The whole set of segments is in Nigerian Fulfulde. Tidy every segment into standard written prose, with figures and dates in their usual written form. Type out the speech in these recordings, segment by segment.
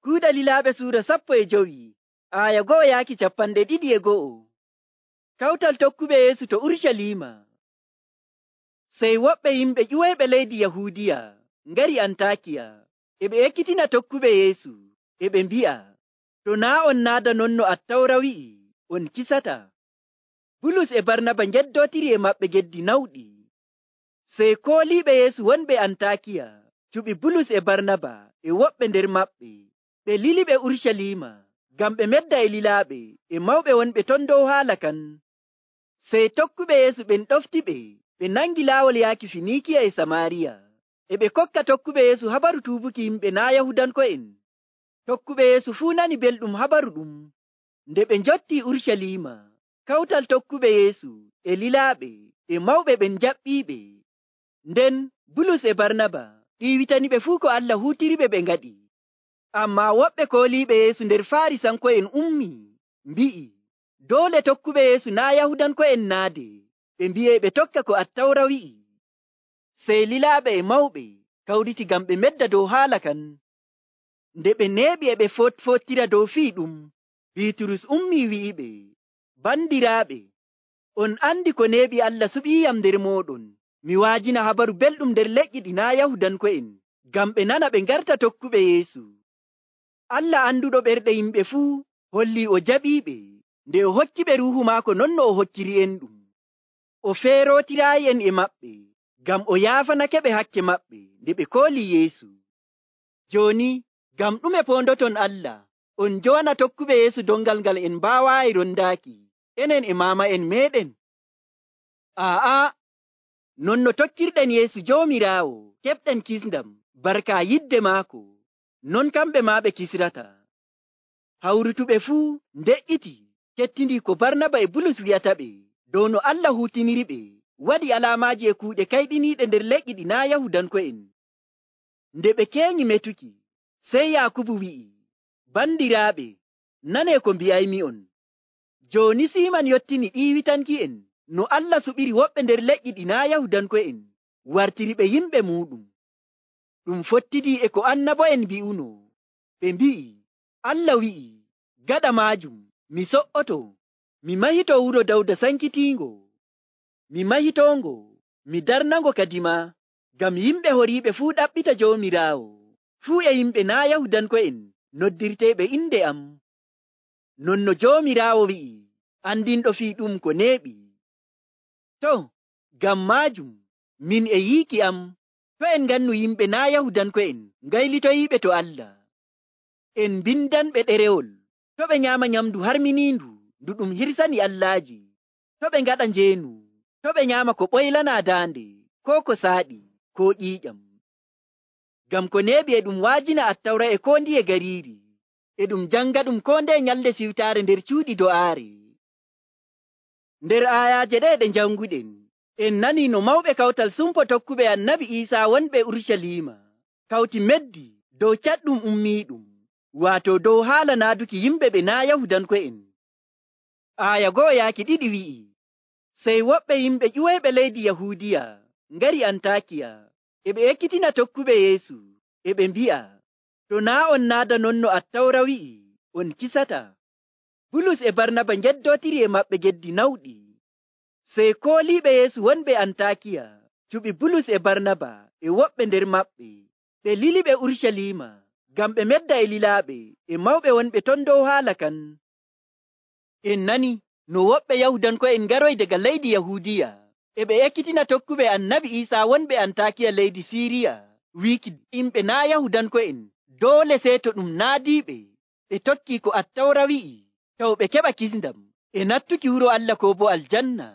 Kuuɗe Lilaaɓe suura 15 aya 1-22. Kawtal tokkuɓe Yeesu to Urucaliima. Sey woɓɓe yimɓe ƴiwoyɓe leydi Yahuudiya ngari Antakiya, e ɓe ekkitina tokkuɓe Yeesu, e ɓe mbi'a, to naa' on naada non no Attawra wi'i, on kisata. Bulus e Barnaba ngeddotiri e maɓɓe geddi nawɗi. Sey kooliiɓe Yeesu wonɓe Antakiya cuɓi Bulus e Barnaba e woɓɓe nder maɓɓe, ɓe liliɓe Urucaliima ngam ɓe medda e lilaaɓe e mawɓe wonɓe ton dow haala kan. Sey tokkuɓe Yeesu ɓen ɗoftiɓe, ɓe nangi laawol yaaki Finiikiya e Samaariya, e ɓe kokka tokkuɓe Yeesu habaru tuubuki yimɓe naa' Yahudanko'en. Tokkuɓe Yeesu fuu nani belɗum habaru ɗum. Nde ɓe njottii Urucaliima, kawtal tokkuɓe Yeesu e lilaaɓe e mawɓe ɓen jaɓɓiiɓe. Nden Bulus e Barnaba ɗiiwitaniɓe fuu ko Allah huutiriɓe ɓe ngaɗi. Ammaa woɓɓe kooliiɓe Yeesu nder Faarisanko'en ummii, mbi'i, doole tokkuɓe Yeesu naa' Yahudanko'en naade, ɓe mbi'ee ɓe tokka ko Attawra wi'i. Sey lilaaɓe e mawɓe kawriti ngam ɓe medda dow haala kan. Nde ɓe neeɓi e ɓe fottira dow fii ɗum, Biiturus ummii wi'iɓe, bandiraaɓe, on andi ko neeɓi Allah suɓiiyam nder mooɗon. Mi waajina habaru belɗum nder leƴƴi ɗi naa' Yahudanko'en, ngam ɓe nana ɓe ngarta tokkuɓe Yeesu. Allah anduɗo ɓerɗe yimɓe fuu hollii o jaɓiiɓe, nde o hokkiɓe Ruuhu maako non no o hokkiri'enɗum. O feerootiraayi'en e maɓɓe, ngam o yaafanake ɓe hakke maɓɓe nde ɓe koolii Yeesu. Jooni, ngam ɗume poondoton Allah, on njowana tokkuɓe Yeesu dongal ngal en mbaawaayi rondaaki, enen e maama'en meeɗen? Non no tokkirɗen Yeesu Joomiraawo, keɓɗen kisndam, barka yidde maako, non kamɓe maa ɓe kisrata. Hawrutuɓe fuu nde'iti kettindi ko Barnaba e Bulus wi'ataɓe dow no Allah huutiniriɓe waɗi alaamaaji e kuuɗe kayɗiniiɗe nder leƴƴi ɗi naa' Yahudanko'en. Nde ɓe keenyi metuki, sey Yaakubu wi'i, bandiraaɓe, nanee ko mbi'aymi'on. Jooni Siiman yottini ɗiiwitanki'en no Allah suɓiri woɓɓe nder leƴƴi ɗi naa' Yahudanko'en wartiriɓe yimɓe muuɗum. Ɗum fottidii e ko annabo'en mbi'uno. Ɓe mbi'i, Allah wi'i, gaɗa maajum, mi so'oto, mi mahito wuro Dawda sankitiingo. Mi mahitongo, mi darnango kadima, ngam yimɓe horiiɓe fuu ɗaɓɓita Joomiraawo, fuu e yimɓe naa' Yahudanko'en noddirteeɓe inde am. Non no Joomiraawo wi'i, andinɗo fii ɗum ko neeɓi. To, ngam maajum, min e yiiki am, to en ngannu yimɓe naa' Yahudanko'en ngaylitoyiiɓe to Allah. En mbindanɓe ɗerewol, to ɓe nyaama nyamndu harminiindu ndu ɗum hirsani allaaji, to ɓe ngaɗa njeenu, to ɓe nyaama ko ɓoylanaa daande, koo ko saaɗi, koo ƴiiƴam. Ngam ko neeɓi e ɗum waajina Attawra e koo ndiye gariiri, e ɗum janga ɗum koo ndeye nyalde siwtaare nder cuuɗi do'aare. Nder aayaaje ɗe ɗe njanguɗen, en nanii no mawɓe kawtal sumpo tokkuɓe Annabi Iisaa wonɓe Urucaliima kawti meddi dow caɗɗum ummiiɗum, waato dow haala naaduki yimɓe ɓe naa' Yahudanko'en. Aaya 1-2 wi'i, sey woɓɓe yimɓe ƴiwoyɓe leydi Yahuudiya ngari Antakiya, e ɓe ekkitina tokkuɓe Yeesu, e ɓe mbi'a, to naa' on naada non no Attawra wi'i, on kisata. Bulus e Barnaba ngeddotiri e maɓɓe geddi nawɗi. Sey kooliiɓe Yeesu wonɓe Antakiya cuɓi Bulus e Barnaba e woɓɓe nder maɓɓe, ɓe liliɓe Urucaliima ngam ɓe medda e lilaaɓe e mawɓe wonɓe ton dow haala kan. En nani no woɓɓe Yahudanko'en ngaroy daga leydi Yahuudiya, e ɓe ekkitina tokkuɓe Annabi Iisaa wonɓe Antakiya leydi Siiriya, wiiki yimɓe naa' Yahudanko'en doole sey to ɗum naadiiɓe ɓe tokkii ko Attawra wi'i, taw ɓe keɓa kisndam e nattuki wuro Allah koo bo aljanna.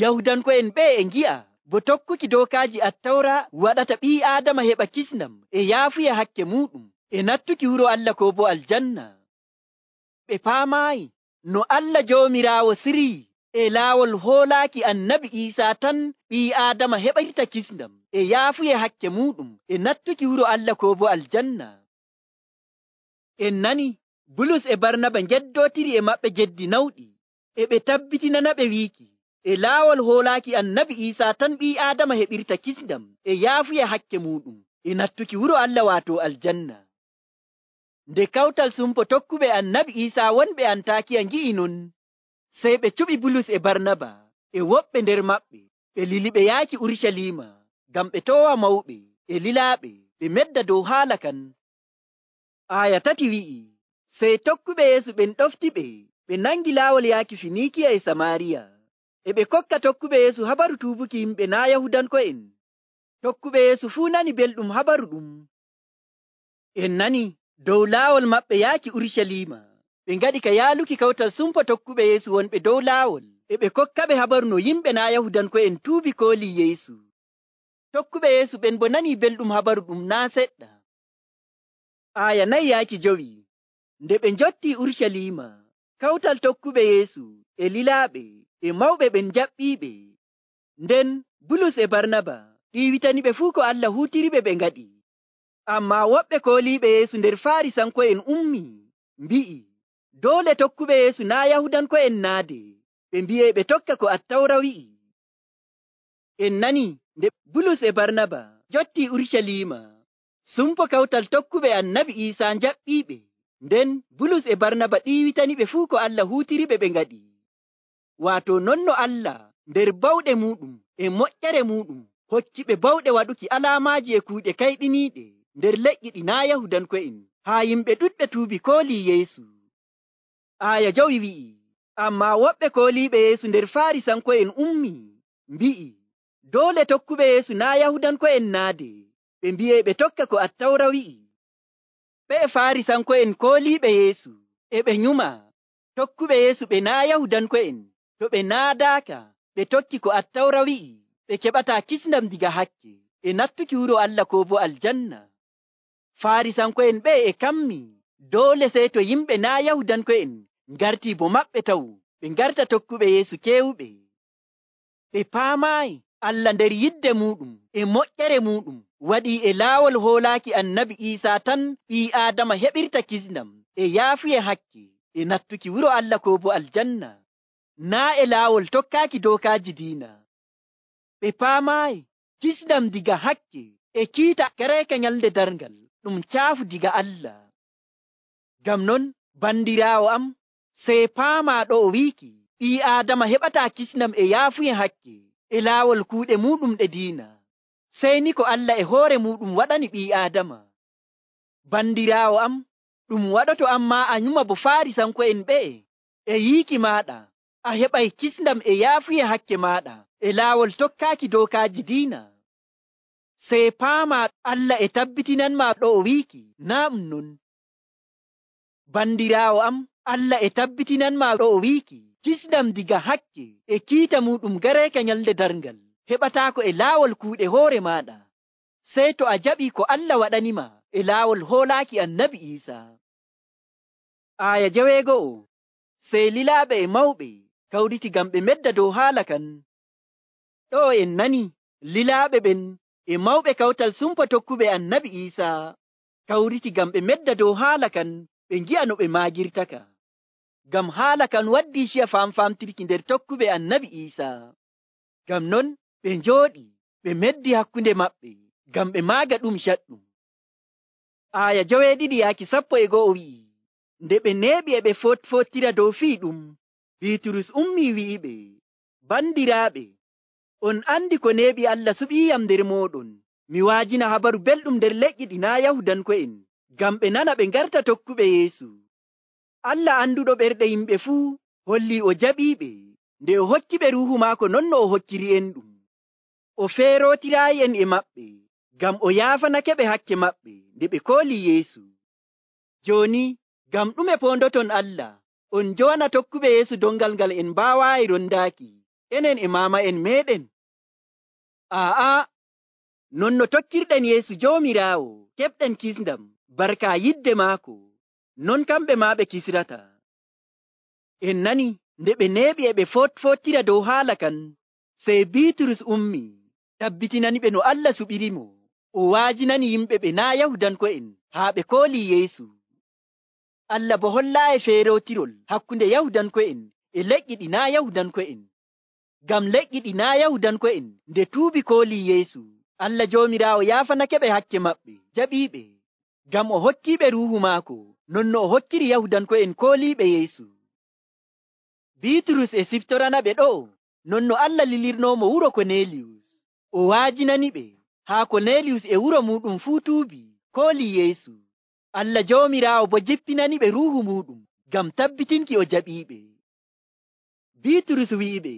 Yahudanko'en ɓe e ngi'a bo tokkuki dookaaji Attawra waɗata ɓii Aadama heɓa kisndam e yaafuya hakke muuɗum e nattuki wuro Allah koo bo aljanna. Ɓe paamaayi no Allah Joomiraawo sirii e laawol hoolaaki Annabi Iisaa tan ɓii Aadama heɓirta kisndam e yaafuya hakke muuɗum e nattuki wuro Allah koo bo aljanna. En nani Bulus e Barnaba ngeddotiri e maɓɓe geddi nawɗi, e ɓe tabbitinanaɓe wiiki, e laawol hoolaaki Annabi Iisaa tan ɓii Aadama heɓirta kisndam e yaafuya hakke muuɗum e nattuki wuro Allah waato aljanna. Nde kawtal sumpo tokkuɓe annabi Iisaa wonɓe Antakiya ngi'i non, sey ɓe cuɓi Bulus e Barnaba e woɓɓe nder maɓɓe, ɓe liliɓe yaaki Urucaliima ngam ɓe toowa mawɓe e lilaaɓe ɓe medda dow haala kan. Aya 3 wi'i, sey tokkuɓe Yeesu ɓen ɗoftiɓe ɓe nangi laawol yaaki Finiikiya e Samaariya, e ɓe kokka tokkuɓe Yeesu habaru tuubuki yimɓe naa' Yahudanko'en. Tokkuɓe Yeesu fuu nani belɗum habaru ɗum. En nani dow laawol maɓɓe yaaki Urucaliima, ɓe ngaɗi ka yaaluki kawtal sumpo tokkuɓe Yeesu wonɓe dow laawol, e ɓe kokkaɓe habaru no yimɓe naa' Yahudanko'en tuubi koolii Yeesu. Tokkuɓe Yeesu ɓen bo nanii belɗum habaru ɗum naa' seɗɗa. Aya 4 yaaki 5. Nde ɓe njottii Urucaliima, kawtal tokkuɓe Yeesu e lilaaɓe e mawɓe ɓen jaɓɓiiɓe. Nden Bulus e Barnaba ɗiiwitaniɓe fuu ko Allah huutiriɓe ɓe ngaɗi. Ammaa woɓɓe kooliiɓe Yeesu nder Faarisanko'en ummii, mbi'i, doole tokkuɓe Yeesu naa' Yahudanko'en naade, ɓe mbi'ee ɓe tokka ko Attawra wi'i. En nani nde Bulus e Barnaba njottii Urucaliima, sumpo kawtal tokkuɓe annabi Iisaa njaɓɓiiɓe. Nden Bulus e Barnaba ɗiiwitaniɓe fuu ko Allah huutiriɓe ɓe ngaɗi. Waato non no Allah nder bawɗe muuɗum e moƴƴere muuɗum hokkiɓe bawɗe waɗuki alaamaaji e kuuɗe kayɗiniiɗe nder leƴƴi ɗi naa' Yahudanko'en, haa yimɓe ɗuɗɓe tuubi koolii Yeesu. Aya 5 wi'i, ammaa woɓɓe kooliiɓe Yeesu nder Faarisanko'en ummii, mbi'i, doole tokkuɓe Yeesu naa' Yahudanko'en naade, ɓe mbi'ee ɓe tokka ko Attawra wi'i. Ɓe Faarisanko'en kooliiɓe Yeesu e ɓe nyuma tokkuɓe Yeesu ɓe naa' Yahudanko'en, to ɓe naadaaka ɓe tokki ko Attawra wi'i, ɓe keɓataa kisndam diga hakke e nattuki wuro Allah koo bo aljanna. Faarisanko'en ɓe e kammi doole sey to yimɓe naa' Yahudanko'en ngartii bo maɓɓe taw ɓe ngarta tokkuɓe Yeesu keewuɓe. Ɓe paamaayi Allah nder yidde muuɗum e moƴƴere muuɗum waɗii e laawol hoolaaki annabi Iisaa tan ɓii Aadama heɓirta kisndam e yaafuye hakke e nattuki wuro Allah koo bo aljanna, naa' e laawol tokkaaki dookaaji diina. Ɓe paamaayi kisndam diga hakke e kiita gareeka nyalnde darngal ɗum caafu diga Allah. Ngam non, bandiraawo am, sey paamaa ɗo o wiiki ɓii Aadama heɓataa kisndam e yaafuye hakke e laawol kuuɗe muuɗum ɗe diina, sey ni ko Allah e hoore muuɗum waɗani ɓii Aadama. Bandiraawo am, ɗum waɗoto ammaa a nyuma bo Faarisanko'en ɓe'e e yiiki maaɗa a heɓay kisndam e yaafuye hakke maaɗa e laawol tokkaaki dookaaji diina. Sey paamaa Allah e tabbitinanmaa ɗo o wiiki naa ɗum non. Bandiraawo am, Allah e tabbitinanmaa ɗo o wiiki kisndam diga hakke e kiita muuɗum gareeka nyalnde darngal heɓataako e laawol kuuɗe hoore maaɗa, sey to a jaɓii ko Allah waɗanima e laawol hoolaaki annabi Iisaa. Aya 6. Sey lilaaɓe e mawɓe kawriti ngam ɓe medda dow haala kan. Ɗo en nani lilaaɓe ɓen e mawɓe kawtal sumpo tokkuɓe annabi Iisaa kawriti ngam ɓe medda dow haala kan ɓe ngi'a no ɓe maagirtaka. Ngam haala kan waddii ciya famfamtirki nder tokkuɓe annabi Iisaa. Ngam non ɓe njooɗi ɓe meddi hakkunde maɓɓe ngam ɓe maaga ɗum caɗɗum. Aya 7 yaaki 11 wi'i, nde ɓe neeɓi e ɓe fottira dow fii ɗum, Biiturus ummii wi'iɓe, bandiraaɓe, on andi ko neeɓi Allah suɓiiyam nder mooɗon, mi waajina habaru belɗum nder leƴƴi ɗi naa' Yahudanko'en, ngam ɓe nana ɓe ngarta tokkuɓe Yeesu. Allah anduɗo ɓerɗe yimɓe fuu hollii o jaɓiiɓe nde o hokkiɓe ruuhu maako non no o hokkiri en ɗum. O feerootiraayi en e maɓɓe ngam o yaafanake ɓe hakke maɓɓe nde ɓe koolii Yeesu. Jooni ngam ɗume poondoton Allah on njowana tokkuɓe Yeesu dongal ngal en mbaawaayi rondaaki enen e maama'en meeɗen? Non no tokkirɗen Yeesu Joomiraawo keɓɗen kisndam barka yidde maako, non kamɓe maa ɓe kisrata. En nani nde ɓe neeɓi e ɓe fottira dow haala kan, sey Biiturus ummi tabbitinaniɓe no Allah suɓirimo, o waajinani yimɓe ɓe naa' Yahudanko'en haa ɓe koolii Yeesu. Allah bo hollaayi feerootirol hakkunde Yahudanko'en e leƴƴi ɗi naa' Yahudanko'en. Ngam leƴƴi ɗi naa' Yahudanko'en nde tuubi koolii Yeesu, Allah Joomiraawo yaafanake ɓe hakke maɓɓe, jaɓiiɓe. ngam o hokkiiɓe ruuhu maako non no o hokkiri Yahudanko'en kooliiɓe Yeesu. Biiturus e siftoranaɓe ɗo'o non no Allah lilirnoomo wuro Korneliyus. O waajinaniɓe haa Korneliyus e wuro muuɗum fuu tuubi koolii Yeesu. Allah Joomiraawo bo jippinaniɓe ruuhu muuɗum ngam tabbitinki o jaɓiiɓe. Biiturus wi'iɓe,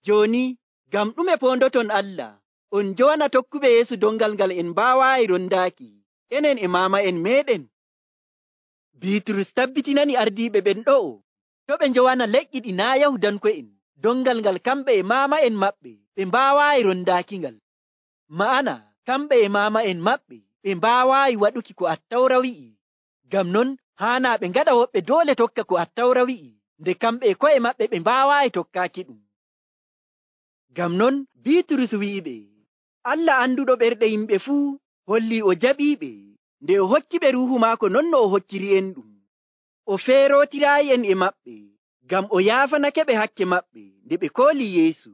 jooni ngam ɗume poondoton Allah on jowana tokkuɓe Yeesu dongal ngal en mbaawaayi rondaaki enen e maama'en meeɗen? Biiturus tabbitinani ardiiɓe ɓen ɗo'o to ɓe njowana leƴƴi ɗi naa' Yahudanko'en dongal ngal kamɓe e maama'en maɓɓe ɓe mbaawaayi rondaakingal. Ma'ana kamɓe e maama'en maɓɓe ɓe mbaawaayi waɗuki ko Attawra wi'i. Ngam non haanaa ɓe ngaɗa woɓɓe doole tokka ko Attawra wi'i nde kamɓe e ko'e maɓɓe ɓe mbaawaayi tokkaaki ɗum. Ngam non Biiturus wi'iɓe, Allah anduɗo ɓerɗe yimɓe fuu hollii o jaɓiiɓe nde o hokkiɓe ruuhu maako non no o hokkiri en ɗum. O feerootiraayi en e maɓɓe ngam o yaafanake ɓe hakke maɓɓe nde ɓe koolii Yeesu.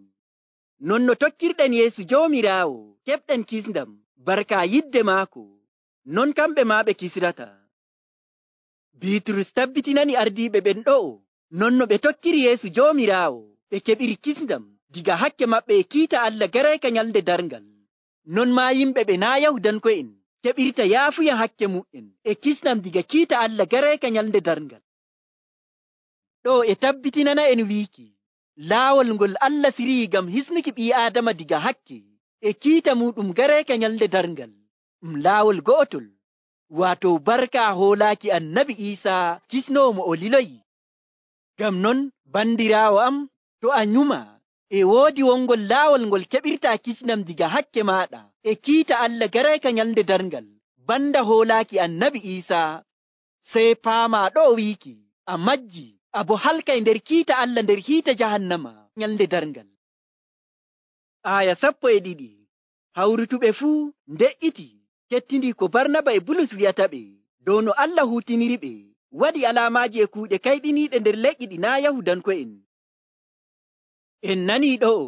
Non no tokkirɗen Yeesu Joomiraawo keɓɗen kisndam barka yidde maako, non kamɓe maa ɓe kisrata. Biiturus tabbitinani ardiiɓe ɓen ɗo'o non no ɓe tokkiri Yeesu Joomiraawo ɓe keɓiri kisndam diga hakke maɓɓe e kiita Allah garayka nyalnde darngal. Non maa yimɓe ɓe naa' Yahudanko'en keɓirta yaafuya hakke mu'en e kisndam diga kiita Allah garayka nyalnde darngal. Ɗo e tabbitinana en wiiki laawol ngol Allah sirii ngam hisnuki ɓii Aadama diga hakke e kiita muɗum garayka nyalnde darngal laawol go'otol, waato barka hoolaaki Annabi Iisaa kisnoowo mo o liloyi. Ngam non bandiraawo am, to a nyuma e woodi wongol laawol ngol keɓirtaa kisnam diga hakke maaɗa e kiita Allah garayka nyalnde darngal banda hoolaaki Annabi Iisaa, sey paamaa ɗo wiiki a majji abo halkay nder kiita Allah nder hiite jahannama nyalnde darngal. Aya 12. Hawrutuɓe fuu nde'iti kettindi ko Barnaba e Bulus wi'ataɓe dow no Allah huutiniriɓe waɗi alaamaaji e kuuɗe kayɗiniiɗe nder leƴƴi ɗi naa' Yahudanko'en. En nanii ɗo'o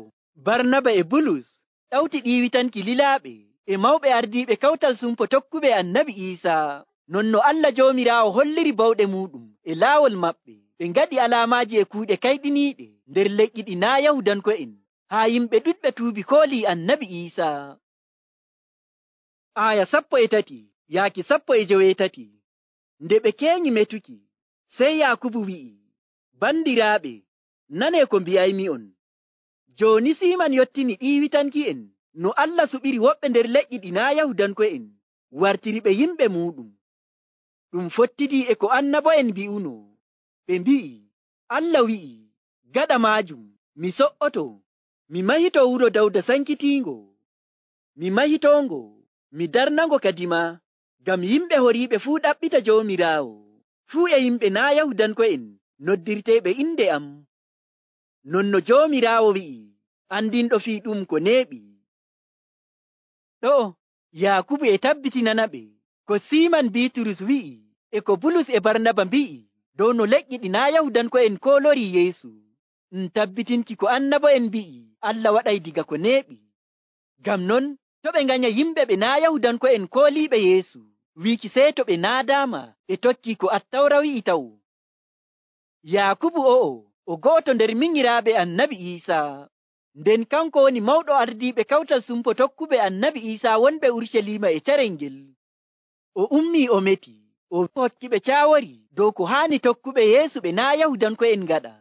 Barnaba e Bulus ɗawti ɗiiwitanki lilaaɓe e mawɓe ardiiɓe kawtal sumpo tokkuɓe Annabi Iisaa, non no Allah Joomiraawo holliri bawɗe muuɗum e laawol maɓɓe. Ɓe ngaɗi alaamaaji e kuuɗe kayɗiniiɗe nder leƴƴi ɗi naa' Yahudanko'en haa yimɓe ɗuɗɓe tuubi koolii Annabi Iisaa. Aya 13 yaaki 17. Nde ɓe keenyi metuki, sey Yaakubu wi'i, bandiraaɓe, nanee ko mbi'aymi'on. Jooni Siiman yottini ɗiiwitanki'en no Allah suɓiri woɓɓe nder leƴƴi ɗi naa' Yahudanko'en wartiri ɓe yimɓe muuɗum. Ɗum fottidii e ko annabo'en mbi'uno. Ɓe mbi'i, Allah wi'i, gaɗa maajum mi so'oto, mi mahito wuro Dawda sankitiingo, mi mahitongo, mi darnango kadima, ngam yimɓe horiiɓe fuu ɗaɓɓita Joomiraawo, fuu e yimɓe naa' Yahudanko'en noddirteeɓe inde am. Non no Joomiraawo wi'i, andinɗo fii ɗum ko neeɓi. Ɗo Yaakubu e tabbitinanaɓe ko Siiman Biiturus wi'i e ko Bulus e Barnaba mbi'i dow no leƴƴi ɗi naa' Yahudanko'en koolori Yeesu. Tabbitinki ko annabo'en mbi'i Allah waɗay diga ko neeɓi. Ngam non to ɓe nganya yimɓe ɓe naa' Yahudanko'en kooliiɓe Yeesu wiiki sey to ɓe naadaama ɓe tokki ko Attawra wi'i taw. Yaakubu o'o o go'oto nder minyiraaɓe Annabi Iisaa, nden kanko woni mawɗo ardiiɓe kawtal sumpo tokkuɓe Annabi Iisaa wonɓe Urucaliima e carel ngel. O ummii o meti, o hokkiɓe caawori dow ko haani tokkuɓe Yeesu ɓe naa' Yahudanko'en ngaɗa.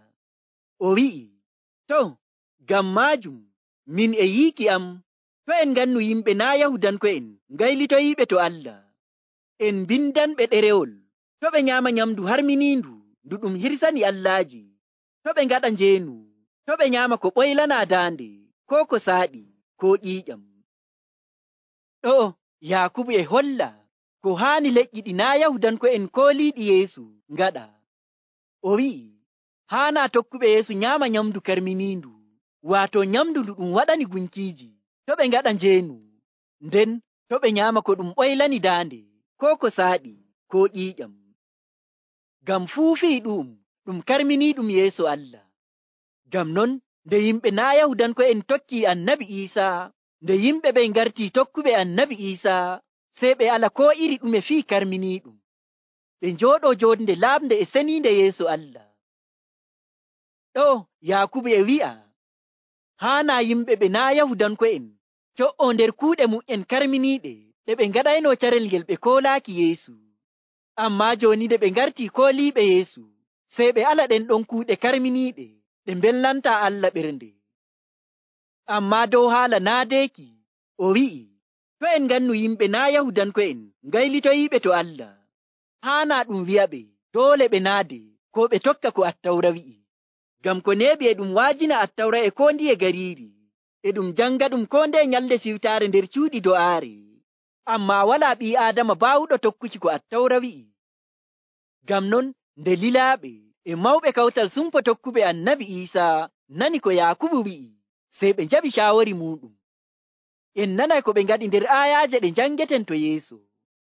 O wi'i, to, ngam maajum min e yiiki am, to en ngannu yimɓe naa' Yahudanko'en ngaylitoyiiɓe to Allah. En mbindanɓe ɗerewol, to ɓe nyaama nyamdu harminiindu ndu ɗum hirsani allaaji, to ɓe ngaɗa njeenu, to ɓe nyaama ko ɓoylanaa daande, ko ko saaɗi, ko ƴiiƴam. Ɗo Yaakubu e holla ko haani leƴƴi ɗi naa' Yahudanko'en kooliiɗi Yeesu ngaɗa. O wi'i, haanaa tokkuɓe Yeesu nyaama nyamdu karminiindu, waato nyamdu ndu ɗum waɗani gunkiiji, to ɓe ngaɗa njeenu, nden to ɓe nyaama ko ɗum ɓoylani daande, ko ko saaɗi, ko ƴiiƴam. Ngam fuu fii ɗum karminiiɗum yeeso Allah. Ngam non nde yimɓe naa' Yahudanko'en tokkii Annabi Iisaa, nde yimɓe ɓe ngartii tokkuɓe Annabi Iisaa, sey ɓe ala ko iri ɗume fii karminiiɗum. Ɓe njooɗo jonde laaɓnde e seniinde yeeso Allah. Ɗo Yaakubu e wi'a, haana yimɓe ɓe naa Yahudanko'en co'oo nder kuuɗe mum'en karminiiɗe ɗe ɓe ngaɗayno carel ngel ɓe koolaaki Yeesu. Ammaa jooni nde ɓe ngartii kooliiɓe Yeesu, sey ɓe ala ɗen ɗon kuuɗe karminiiɗe ɗe mbelnantaa Allah ɓernde. Ammaa dow haala naadeeki, o wi'i, to en ngannu yimɓe naa Yahudanko'en ngaylitoyiiɓe to Allah, haanaa ɗum wi'aɓe doole ɓe naade ko ɓe tokka ko Attawra wi'i. Ngam ko neeɓi e ɗum waajina Attawra e koo ndiye gariiri, e ɗum janga ɗum koo ndeye nyalde siwtaare nder cuuɗi do'aare. Ammaa walaa ɓii Aadama baawuɗo tokkuki ko Attawra wi'i. Ngam non nde lilaaɓe e mawɓe kawtal sumpo tokkuɓe Annabi Iisaa nani ko Yaakubu wi'i, sey ɓe njaɓi caawori muuɗum. En nanay ko ɓe ngaɗi nder aayaaje ɗe njangeten to yeeso.